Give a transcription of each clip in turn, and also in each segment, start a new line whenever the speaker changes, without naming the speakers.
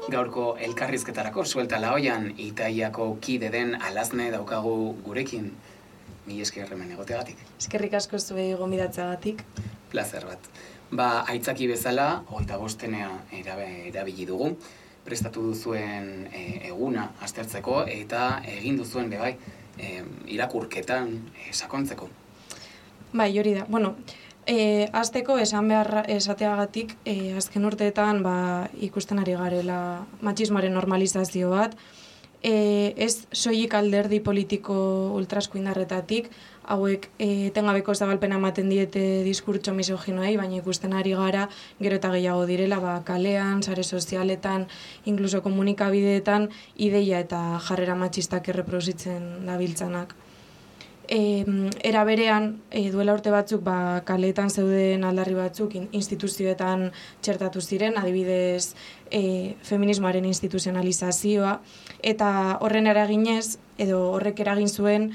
Gaurko elkarrizketarako suelta laoian Itaiako kide den Alazne daukagu gurekin. Mila esker hemen egoteagatik.
Eskerrik asko zuei gonbidatzeagatik.
Plazer bat. Aitzaki bezala, 25 erabili dugu. Prestatu duzuen eguna aztertzeko eta egin duzuen bebai irakurketan sakontzeko.
Bai, hori da. Hasteko esateagatik, azken urteetan ikusten ari garela matxismoaren normalizazio bat, ez soilik alderdi politiko ultraeskuindarretatik, hauek etengabeko zabalpena ematen diete diskurtso misoginoei, baina ikusten ari gara gero eta gehiago direla, kalean, sare sozialetan, inkluso komunikabideetan, ideia eta jarrera matxistak erreproduzitzen dabiltzanak. Era berean, duela urte batzuk kaleetan zeuden aldarri batzuk instituzioetan txertatu ziren, adibidez feminismoaren instituzionalizazioa, eta horren eraginez, edo horrek eragin zuen,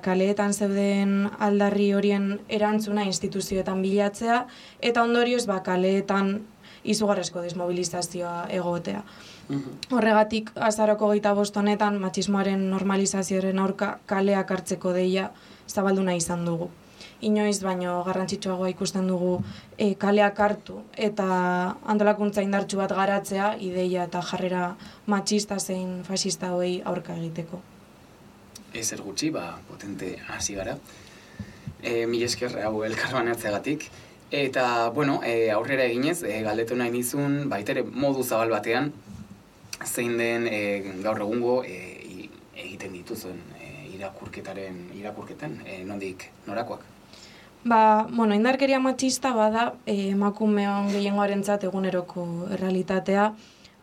kaleetan zeuden aldarri horien erantzuna instituzioetan bilatzea, eta ondorioz kaleetan izugarrezko desmobilizazioa egotea. Horregatik, azaroko 25 honetan, matxismoaren normalizazioaren aurka kaleak hartzeko deia zabalduna izan dugu. Inoiz, baino garrantzitsuagoa ikusten dugu kaleak hartu eta antolakuntza indartsu bat garatzea, ideia eta jarrera matxista zein fascista hauei aurka egiteko.
Ezer gutxi, potente hasi gara. Mila esker hau elkarbanatzeagatik. Eta, aurrera eginez, galdetu nahi nizun, baitere modu zabal batean, zein den gaur egungo egiten dituzuen irakurketan, nondik norakoak?
Indarkeria matxista bada emakumeon gehiengoarentzat eguneroko errealitatea,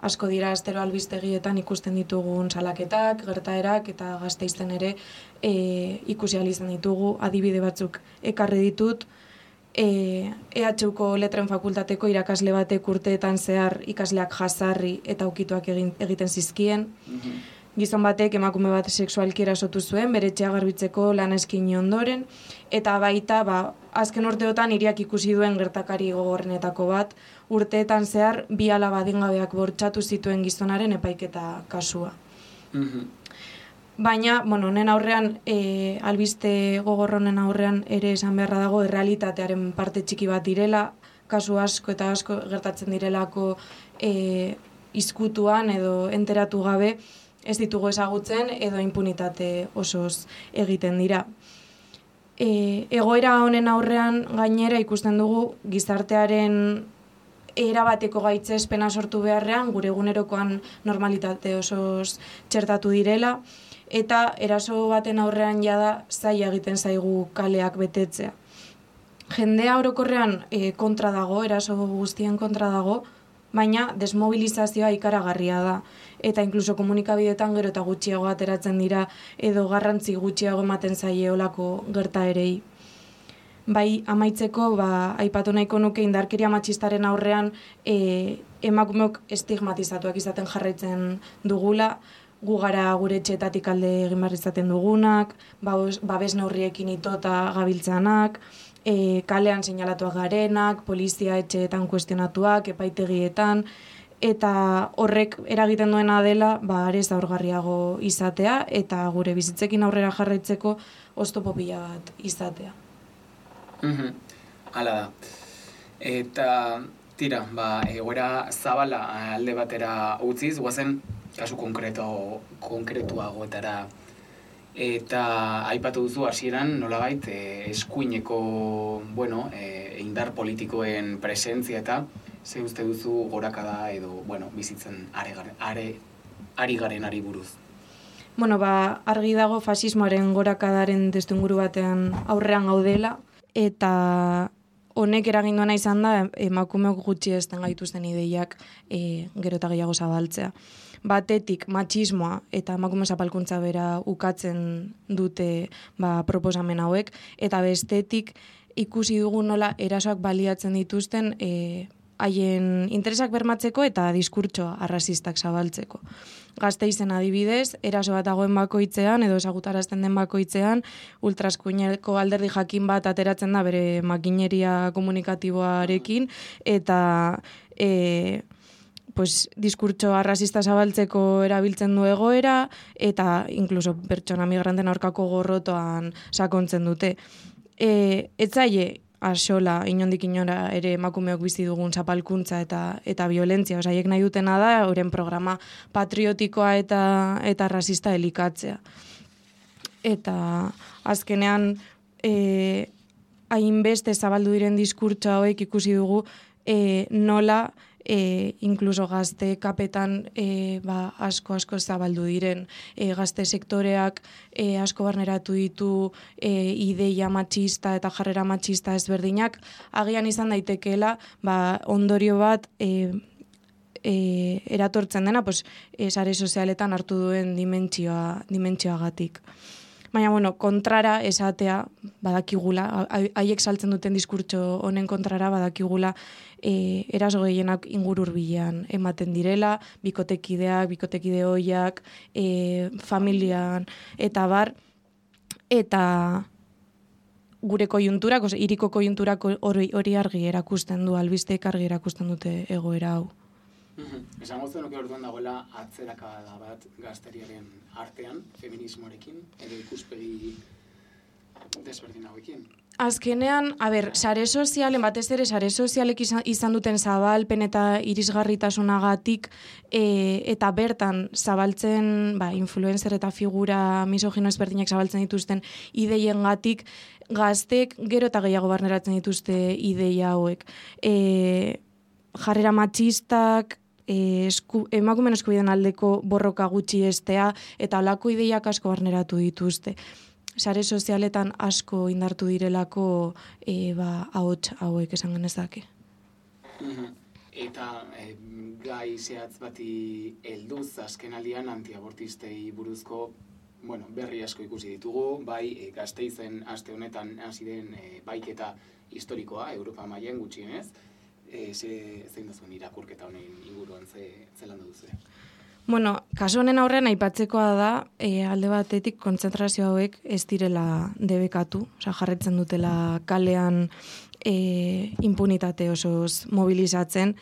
asko dira astero albistegietan ikusten ditugun salaketak, gertaerak eta Gasteizten ere ikusi ahal izan ditugu, adibide batzuk ekarri ditut. EHUko letren fakultateko irakasle batek urteetan zehar ikasleak jazarri eta ukituak egiten zizkien. Gizon batek emakume bat sexualki erasotu zuen, bere etxea garbitzeko lan eskaini ondoren, eta baita azken urteotan hiriak ikusi duen gertakari gogorrenetako bat, urteetan zehar 2 alaba adingabeak bortxatu zituen gizonaren epaiketa kasua. Baina, honen aurrean, albiste gogorronen aurrean ere esan beharra dago errealitatearen parte txiki bat direla, kasu asko eta asko gertatzen direlako izkutuan edo enteratu gabe ez ditugu ezagutzen edo impunitate osoz egiten dira. Egoera honen aurrean gainera ikusten dugu gizartearen erabateko gaitzespena sortu beharrean gure egunerokoan normalitate osoz txertatu direla, eta eraso baten aurrean jada zaila egiten zaigu kaleak betetzea. Jendea orokorrean kontra dago, eraso guztien kontra dago, baina desmobilizazioa ikaragarria da. Eta inkluso komunikabideetan gero eta gutxiago ateratzen dira edo garrantzi gutxiago ematen zaie olako gertaerei. Bai, amaitzeko, aipatu nahiko nuke indarkeria matxistaren aurrean emakumeok estigmatizatuak izaten jarraitzen dugula, gu gara gure etxeetatik alde egin behar izaten dugunak, babes neurriekin itota gabiltzanak, kalean seinalatuak garenak, polizia etxeetan kuestionatuak, epaitegietan, eta horrek eragiten duena dela, are zaurgarriago izatea, eta gure bizitzekin aurrera jarraitzeko oztopo pila bat izatea.
Hala da. Eta, tira, egoera zabala alde batera utziz, guazen kasu konkretuagoetara. Eta aipatu duzu hasieran nolabait eskuineko, indar politikoen presentzia eta ze uste duzu gorakada edo, bizitzen ari garenari buruz.
Argi dago fasismoaren gorakadaren testuinguru batean aurrean gaudela, eta honek eragin duena izan da emakumeok gutxi ezten gaituzten ideiak gero eta gehiago zabaltzea. batetik matxismoa eta emakume zapalkuntza bera ukatzen dute proposamen hauek, eta bestetik ikusi dugu nola erasoak baliatzen dituzten haien interesak bermatzeko eta diskurtsoa arrazistak zabaltzeko. Gasteizen adibidez, eraso bat dagoen bakoitzean edo ezagutarazten den bakoitzean, ultraeskuineko alderdi jakin bat ateratzen da bere makineria komunikatiboarekin eta diskurtso arrazista zabaltzeko erabiltzen du egoera eta incluso pertsona migranten aurkako gorrotoan sakontzen dute. Etzaile asola, inondik inora ere emakumeok bizi dugun zapalkuntza eta violentzia. Haiek nahi dutena da, euren programa patriotikoa eta rasista elikatzea. Eta azkenean, hainbeste zabaldu diren diskurtsa hauek ikusi dugu nola incluso gazte kapetan asko zabaldu diren. Gazte sektoreak asko barneratu ditu ideia matxista eta jarrera matxista ezberdinak, agian izan daitekeela ondorio bat eratortzen dena sare sozialetan hartu duen dimentsioagatik. Baina, kontrara esatea badakigula, haiek saltzen duten diskurtso honen kontrara badakigula eraso gehienak inguru hurbilean ematen direla, bikotekide ohiak, familian, eta bar, eta gure koiunturak, hiriko koiunturak hori argi erakusten du, albisteek argi erakusten dute egoera hau.
Esango zenuke orduan dagoela atzerakada bat gazteriaren artean, feminismoarekin, edo ikuspegi desberdin hauekin?
Azkenean, sare sozialen, batez ere sare sozialek izan duten zabalpen eta irisgarritasunagatik eta bertan zabaltzen, influencer eta figura misogino ezberdinak zabaltzen dituzten ideiengatik, gaztek gero eta gehiago barneratzen dituzte ideia hauek. Jarrera matxistak, emakumeen eskubideen aldeko borroka gutxi estea eta holako ideiak asko barneratu dituzte. Sare sozialetan asko indartu direlako ahots hauek esan genezake.
Eta gai zehatz bati helduz azkenaldian antiabortistei buruzko berri asko ikusi ditugu, bai Gasteizen aste honetan hasi den baiketa historikoa Europa mailan gutxienez. Zein da zuen irakurketa honen inguruan zelan duzu?
Kasu honen aurrean aipatzekoa da, alde batetik kontzentrazio hauek ez direla debekatu, jarretzen dutela kalean impunitate osoz mobilizatzen,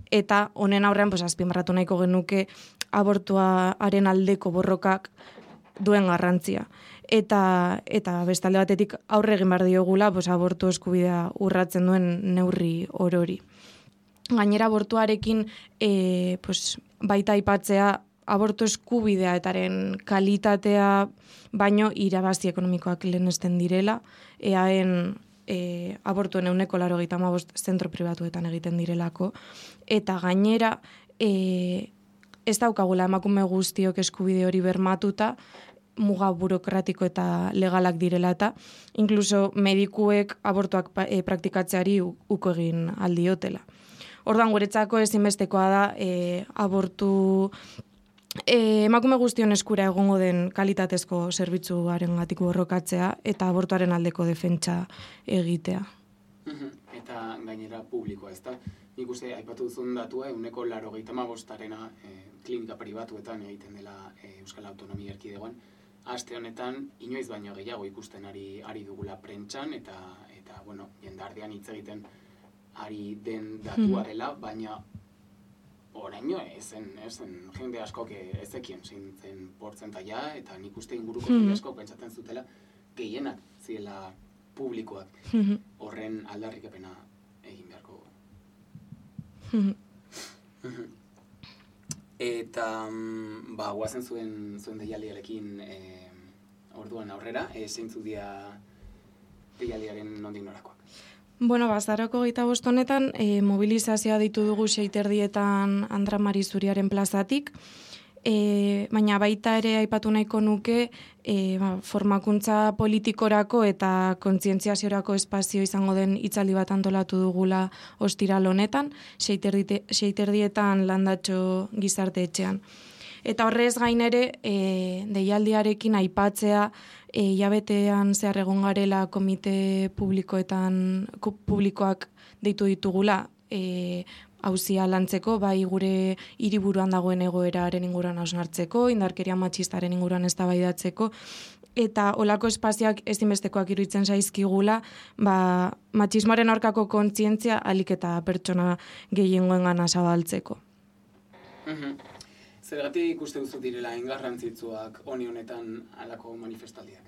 eta honen aurrean azpimarratu nahiko genuke abortuaren aldeko borrokak duen garrantzia. Eta bestalde batetik aurre egin behar diogula abortu eskubidea urratzen duen neurri orori. Gainera abortuarekin baita aipatzea abortu eskubidea etaren kalitatea baino irabazi ekonomikoak lehenesten direla, eaen abortuen 85% zentro pribatuetan egiten direlako, eta gainera ez daukagula emakume guztiok eskubide hori bermatuta, muga burokratiko eta legalak direla eta inkluso medikuek abortuak praktikatzeari uko egin aldiotela. Orduan guretzako ezinbestekoa da abortu emakume guztion eskura egongo den kalitatezko zerbitzuarengatik borrokatzea eta abortuaren aldeko defentsa egitea.
Eta gainera publikoa, ezta? Nik uste aipatu duzun datua 85% klinika pribatuetan egiten dela Euskal Autonomia Erkidegoan. Aste honetan inoiz baino gehiago ikusten ari dugula prentsan eta jendartean hitz egiten ari den datua dela, baina oraino ezen jende askok ezekien zen portzentaia eta nik uste inguruko jende askok pentsatzen zutela gehienak zirela publikoak horren aldarrikapena egin beharko. Eta guazen zuen deialdiarekin orduan aurrera, zeintzuk dira deialdiaren nondik norakoak?
Azaroko 25 honetan mobilizazioa ditu dugu 6:30 Andra Mari Zuriaren plazatik, baina baita ere aipatu nahiko nuke formakuntza politikorako eta kontzientziaziorako espazio izango den hitzaldi bat antolatu dugula ostiral honetan, 6:30 Landatxo gizarte etxean. Eta horrez gain ere, deialdiarekin aipatzea, hilabetean zehar egon garela komite publikoak deitu ditugula, auzia lantzeko, bai gure hiriburuan dagoen egoeraren inguruan hausnartzeko, indarkeria matxistaren inguruan eztabaidatzeko, eta olako espazioak ezinbestekoak iruditzen zaizkigula, matxismoaren aurkako kontzientzia ahalik eta pertsona gehiengoengana zabaltzeko.
Zergatik uste duzu direla garrantzitsuak honetan halako manifestaldiak?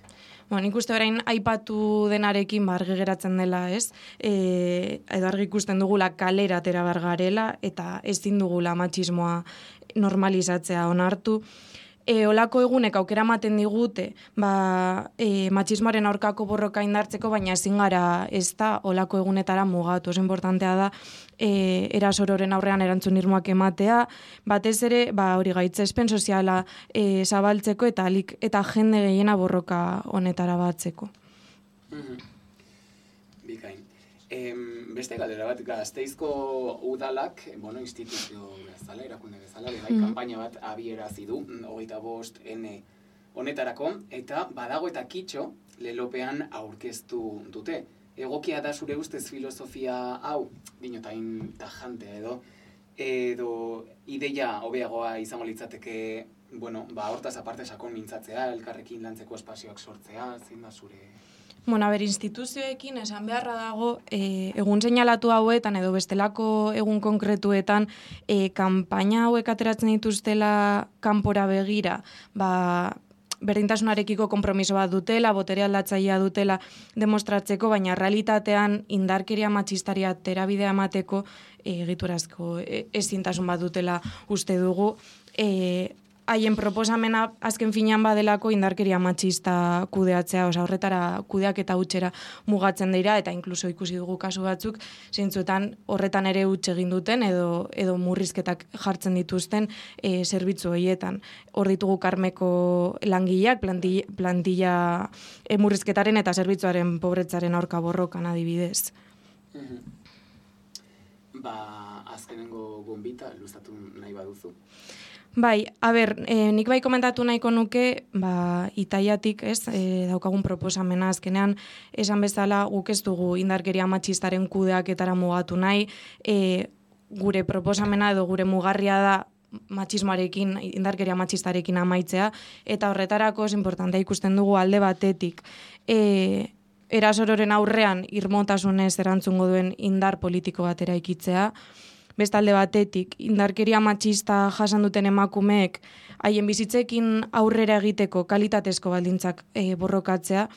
Nik uste orain aipatu denarekin argi geratzen dela, ez? Edo argi ikusten dugula kalera atera behar garela eta ezin dugula matxismoa normalizatzea onartu. Olako egunek aukera ematen digute, matxismoaren aurkako borroka indartzeko, baina ezin gara ez da olako egunetara mugatu. Oso importantea da erasororen aurrean erantzun irmoak ematea, batez ere, hori gaitzespen soziala zabaltzeko eta jende gehiena borroka honetara batzeko.
Bikain. Beste galdera bat, Gasteizko udalak, instituzio bezala, erakunde bezala, kanpaina bat abierazi du, 25N honetarako, eta badago eta kitxo lelopean aurkeztu dute. Egokia da zure ustez filosofia hau, dinotain tajante edo ideia hobeagoa izango litzateke, hortaz aparte sakon mintzatzea, elkarrekin lantzeko espazioak sortzea, zein da zure...
Instituzioekin esan beharra dago, egun seinalatu hauetan edo bestelako egun konkretuetan, kanpaina hauek ateratzen dituztela kanpora begira, berdintasunarekiko konpromiso bat dutela, botere aldatzailea dutela demostratzeko, baina realitatean indarkeria matxistaria terabidea emateko egiturazko ezintasun bat dutela uste dugu. Haien proposamena azken finean badelako indarkeria matxista kudeatzea, horretara kudeak eta utxera mugatzen dira, eta inkluso ikusi dugu kasu batzuk, zeintzuetan horretan ere utxe egin duten edo murrizketak jartzen dituzten zerbitzu horietan. Hor ditugu Karmeko langileak, plantilla murrizketaren eta zerbitzuaren pobretzaren aurka borrokan adibidez.
Azkenengo gonbita luzatu nahi baduzu.
Nik komentatu nahiko nuke, Itaiatik, daukagun proposamena azkenean, esan bezala guk ez dugu indarkeria matxistaren kudeaketara mugatu nahi, gure proposamena edo gure mugarria da matxismoarekin, indarkeria matxistarekin amaitzea, eta horretarako es importantea ikusten dugu alde batetik, erasororen aurrean irmotasunez erantzungo duen indar politiko bat eraikitzea, bestalde batetik, indarkeria matxista jasan duten emakumeek haien bizitzekin aurrera egiteko kalitatezko baldintzak borrokatzea,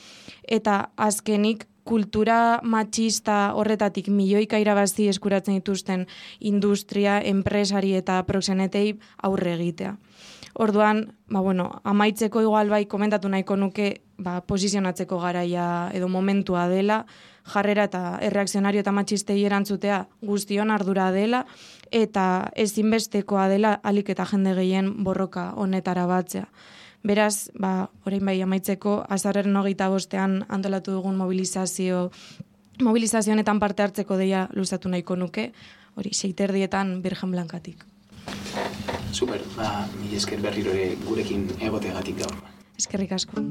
eta azkenik kultura matxista horretatik milioika irabazi eskuratzen dituzten industria, enpresari eta proxenetei aurre egitea. Orduan, amaitzeko igual komentatu nahiko nuke posizionatzeko garaia edo momentua dela, jarrera eta erreakzionario eta matxistei erantzutea guztion ardura dela, eta ezinbestekoa dela ahalik eta jende gehien borroka honetara batzea. Beraz, orain amaitzeko, azaroaren 25ean antolatu dugun mobilizazioetan parte hartzeko deia luzatu nahiko nuke, hori 6:30 Birgen Blankatik.
Super, mila esker berriro ere gurekin egoteagatik gaur.
Eskerrik asko.